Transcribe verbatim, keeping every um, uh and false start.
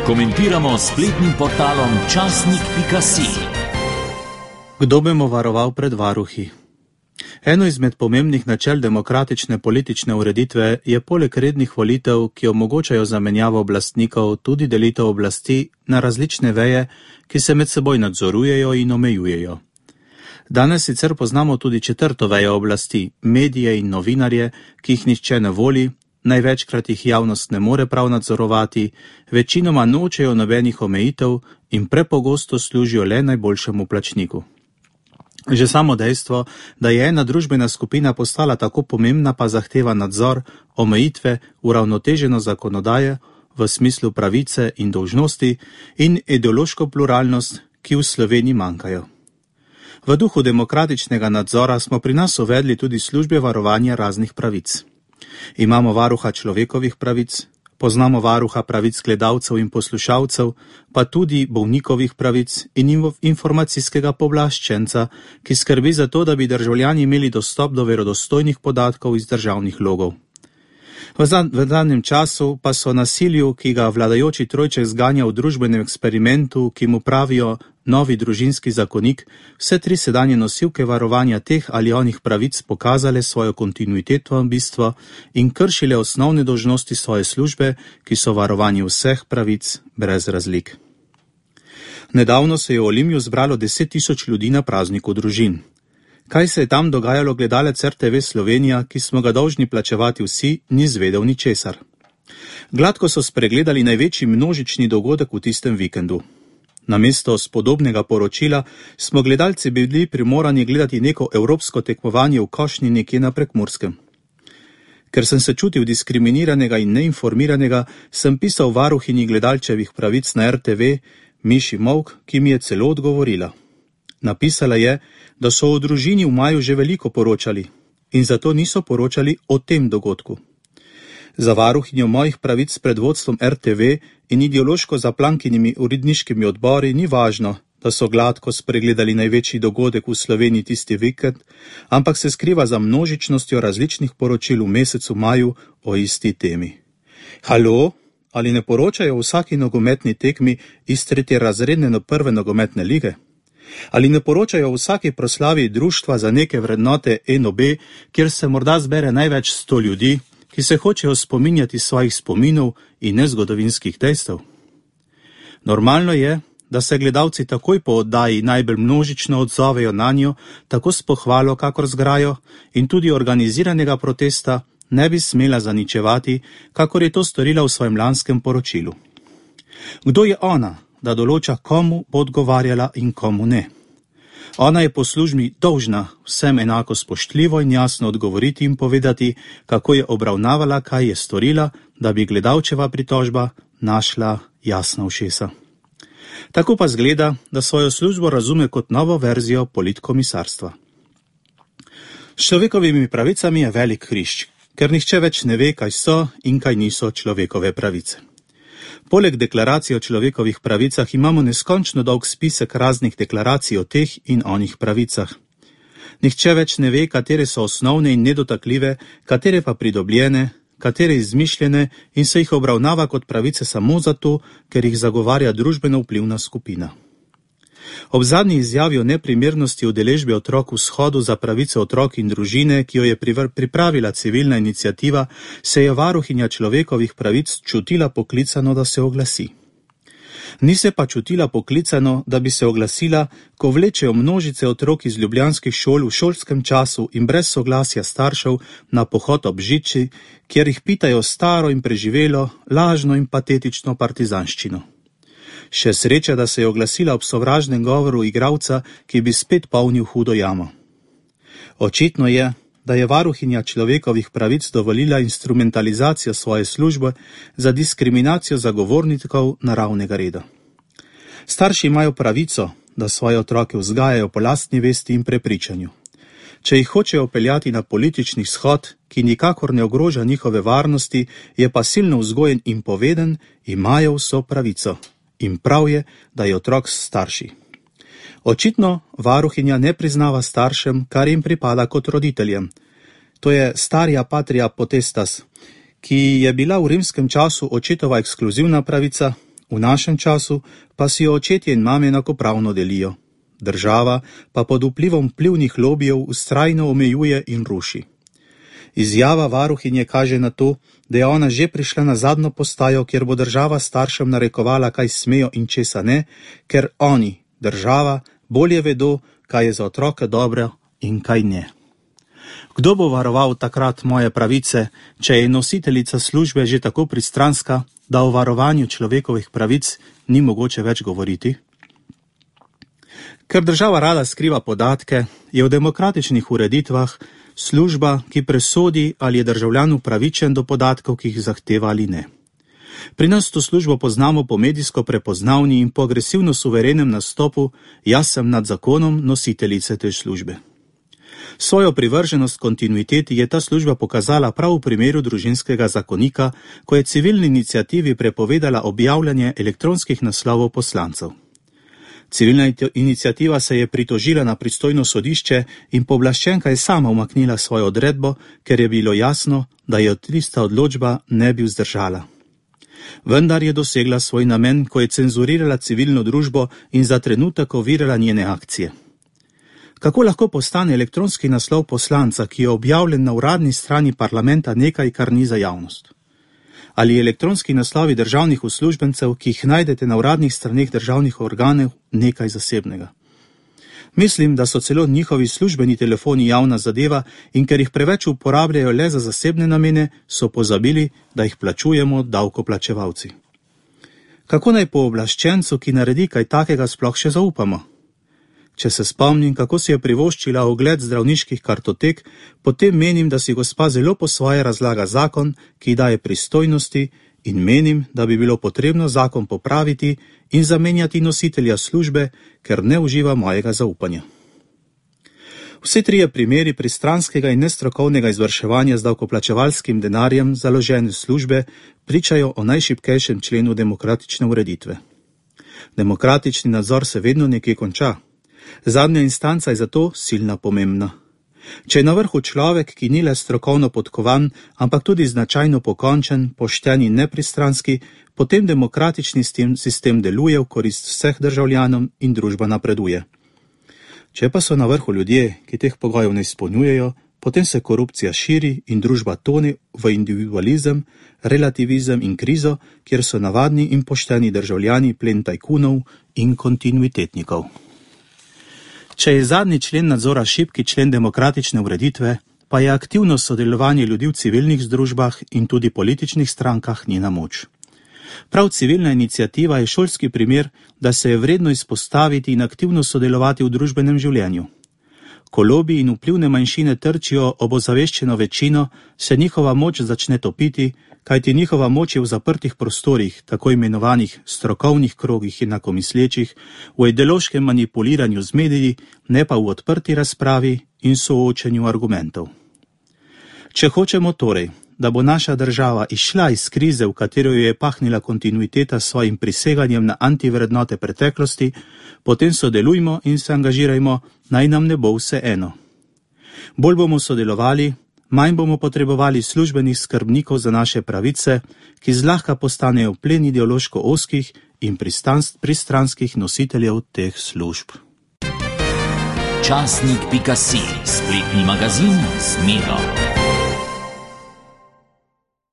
Komentiramo s spletnim portalom časnik pika si. Kdo bomo varoval pred varuhi? Eno izmed pomembnih načel demokratične politične ureditve je poleg rednih volitev, ki omogočajo zamenjavo oblastnikov, tudi delitev oblasti na različne veje, ki se med seboj nadzorujejo in omejujejo. Danes sicer poznamo tudi četrto vejo oblasti, medije in novinarje, ki jih nihče ne voli, največkrat jih javnost ne more prav nadzorovati, večinoma nočejo nobenih omejitev in prepogosto služijo le najboljšemu plačniku. Že samo dejstvo, da je ena družbena skupina postala tako pomembna, pa zahteva nadzor, omejitve, uravnoteženo zakonodaje v smislu pravice in dolžnosti in ideološko pluralnost, ki v Sloveniji manjkajo. V duhu demokratičnega nadzora smo pri nas uvedli tudi službe varovanja raznih pravic. Imamo varuha človekovih pravic, poznamo varuha pravic gledalcev in poslušalcev, pa tudi bolnikovih pravic in informacijskega pooblaščenca, ki skrbi za to, da bi državljani imeli dostop do verodostojnih podatkov iz državnih logov. V zadnjem času pa so nasilju, ki ga vladajoči trojček zganja v družbenem eksperimentu, ki mu pravijo novi družinski zakonik, vse tri sedanje nosilke varovanja teh ali onih pravic pokazale svojo kontinuiteto in bistvo in kršile osnovne dolžnosti svoje službe, ki so varovanje vseh pravic brez razlik. Nedavno se je v Olimju zbralo deset tisoč ljudi na prazniku družin. Kaj se je tam dogajalo, gledalec er te ve Slovenija, ki smo ga dolžni plačevati vsi, ni zvedel ničesar. Gladko so spregledali največji množični dogodek v tistem vikendu. Namesto spodobnega poročila smo gledalci bili primorani gledati neko evropsko tekmovanje v košnji nekje na Prekmurskem. Ker sem se čutil diskriminiranega in neinformiranega, sem pisal varuhinji gledalčevih pravic na er te ve, Miši Molk, ki mi je celo odgovorila. Napisala je, da so o družini v maju že veliko poročali in zato niso poročali o tem dogodku. Za varuhinjo mojih pravic pred vodstvom er te ve in ideološko zaplankinimi uredniškimi odbori ni važno, da so gladko spregledali največji dogodek v Sloveniji tisti vikend, ampak se skriva za množičnostjo različnih poročil v mesecu maju o isti temi. Halo, ali ne poročajo o vsaki nogometni tekmi iz tretje razredne do prve nogometne lige? Ali ne poročajo o vsaki proslavi društva za neke vrednote en o be, kjer se morda zbere največ sto ljudi, ki se hočejo spominjati svojih spominov in nezgodovinskih dejstev? Normalno je, da se gledalci takoj po oddaji najbolj množično odzovejo na njo, tako s pohvalo kakor z grajo, in tudi organiziranega protesta ne bi smela zaničevati, kakor je to storila v svojem lanskem poročilu. Kdo je ona, da določa, komu bo odgovarjala in komu ne? Ona je po službi dolžna vsem enako spoštljivo in jasno odgovoriti in povedati, kako je obravnavala, kaj je storila, da bi gledalčeva pritožba našla jasna ušesa. Tako pa zgleda, da svojo službo razume kot novo verzijo politkomisarstva. S človekovimi pravicami je velik hrišč, ker nihče več ne ve, kaj so in kaj niso človekove pravice. Poleg deklaracije o človekovih pravicah imamo neskončno dolg spisek raznih deklaracij o teh in onih pravicah. Nihče več ne ve, katere so osnovne in nedotakljive, katere pa pridobljene, katere izmišljene in se jih obravnava kot pravice samo zato, ker jih zagovarja družbeno vplivna skupina. Ob zadnji izjavi o neprimernosti udeležbe otrok v shodu za pravice otrok in družine, ki jo je pripravila civilna iniciativa, se je varuhinja človekovih pravic čutila poklicano, da se oglasi. Ni se pa čutila poklicano, da bi se oglasila, ko vlečejo množice otrok iz ljubljanskih šol v šolskem času in brez soglasja staršev na pohod ob žiči, kjer jih pitajo staro in preživelo, lažno in patetično partizanščino. Še sreča, da se je oglasila ob sovražnem govoru igralca, ki bi spet polnil hudo jamo. Očitno je, da je varuhinja človekovih pravic dovolila instrumentalizacijo svoje službe za diskriminacijo zagovornikov naravnega reda. Starši imajo pravico, da svoje otroke vzgajajo po lastni vesti in prepričanju. Če jih hočejo peljati na politični shod, ki nikakor ne ogroža njihove varnosti, je pa silno vzgojen in poveden, imajo vso pravico. In prav je, da je otrok s starši. Očitno varuhinja ne priznava staršem, kar jim pripada kot roditeljem. To je starija patria potestas, ki je bila v rimskem času očetova ekskluzivna pravica, V našem času pa si jo očetje in mame enakopravno delijo. Država pa pod vplivom vplivnih lobijev vztrajno omejuje in ruši. Izjava varuhinje kaže na to, da je ona že prišla na zadnjo postajo, kjer bo država staršem narekovala, kaj smejo in česa ne, ker oni, država, bolje vedo, kaj je za otroke dobro in kaj ne. Kdo bo varoval takrat moje pravice, če je nositeljica službe že tako pristranska, da o varovanju človekovih pravic ni mogoče več govoriti? Ker država rada skriva podatke, je v demokratičnih ureditvah služba, ki presodi, ali je državljan upravičen do podatkov, ki jih zahteva ali ne. Pri nas to službo poznamo po medijsko prepoznavni in po agresivno suverenem nastopu, jaz sem nad zakonom nositeljice te službe. Svojo privrženost kontinuiteti je ta služba pokazala prav v primeru družinskega zakonika, ko je civilni iniciativi prepovedala objavljanje elektronskih naslovov poslancev. Civilna iniciativa se je pritožila na pristojno sodišče in pooblaščenka je sama umaknila svojo odredbo, ker je bilo jasno, da jo tista odločba ne bi vzdržala. Vendar je dosegla svoj namen, ko je cenzurirala civilno družbo in za trenutek ovirala njene akcije. Kako lahko postane elektronski naslov poslanca, ki je objavljen na uradni strani parlamenta, nekaj, kar ni za javnost? Ali elektronski naslovi državnih uslužbencev, ki jih najdete na uradnih straneh državnih organov, nekaj zasebnega? Mislim, da so celo njihovi službeni telefoni javna zadeva in ker jih preveč uporabljajo le za zasebne namene, so pozabili, da jih plačujemo davkoplačevalci. Kako naj pooblaščencu, ki naredi kaj takega, sploh še zaupamo? Če se spomnim, kako si je privoščila ogled zdravniških kartotek, potem menim, da si gospa zelo po svoje razlaga zakon, ki daje pristojnosti, in menim, da bi bilo potrebno zakon popraviti in zamenjati nositelja službe, ker ne uživa mojega zaupanja. Vse trije primeri pristranskega in nestrokovnega izvrševanja z davkoplačevalskim denarjem založene službe pričajo o najšibkejšem členu demokratične ureditve. Demokratični nadzor se vedno nekje konča. Zadnja instanca je zato silna pomembna. Če je na vrhu človek, ki ni le strokovno podkovan, ampak tudi značajno pokončen, pošten in nepristranski, potem demokratični sistem deluje v korist vseh državljanom in družba napreduje. Če pa so na vrhu ljudje, ki teh pogojev ne izpolnjujejo, potem se korupcija širi in družba tone v individualizem, relativizem in krizo, kjer so navadni in pošteni državljani plen tajkunov in kontinuitetnikov. Če je zadnji člen nadzora šibki člen demokratične ureditve, pa je aktivno sodelovanje ljudi v civilnih združbah in tudi političnih strankah njena moč. Prav civilna iniciativa je šolski primer, da se je vredno izpostaviti in aktivno sodelovati v družbenem življenju. Ko lobi in vplivne manjšine trčijo ob ozaveščeno večino, se njihova moč začne topiti, kajti njihova moč je v zaprtih prostorih, tako imenovanih strokovnih krogih in enakomislečih, v ideološkem manipuliranju z mediji, ne pa v odprti razpravi in soočenju argumentov. Če hočemo torej, da bo naša država izšla iz krize, v katero jo je pahnila kontinuiteta s svojim priseganjem na antivrednote preteklosti, potem sodelujmo in se angažirajmo, naj nam ne bo vse eno. Bolj bomo sodelovali, manj bomo potrebovali službenih skrbnikov za naše pravice, ki zlahka postanejo plen ideološko ozkih in pristranskih nositeljev teh služb. Časnik pika si, spletni magazin z Miro.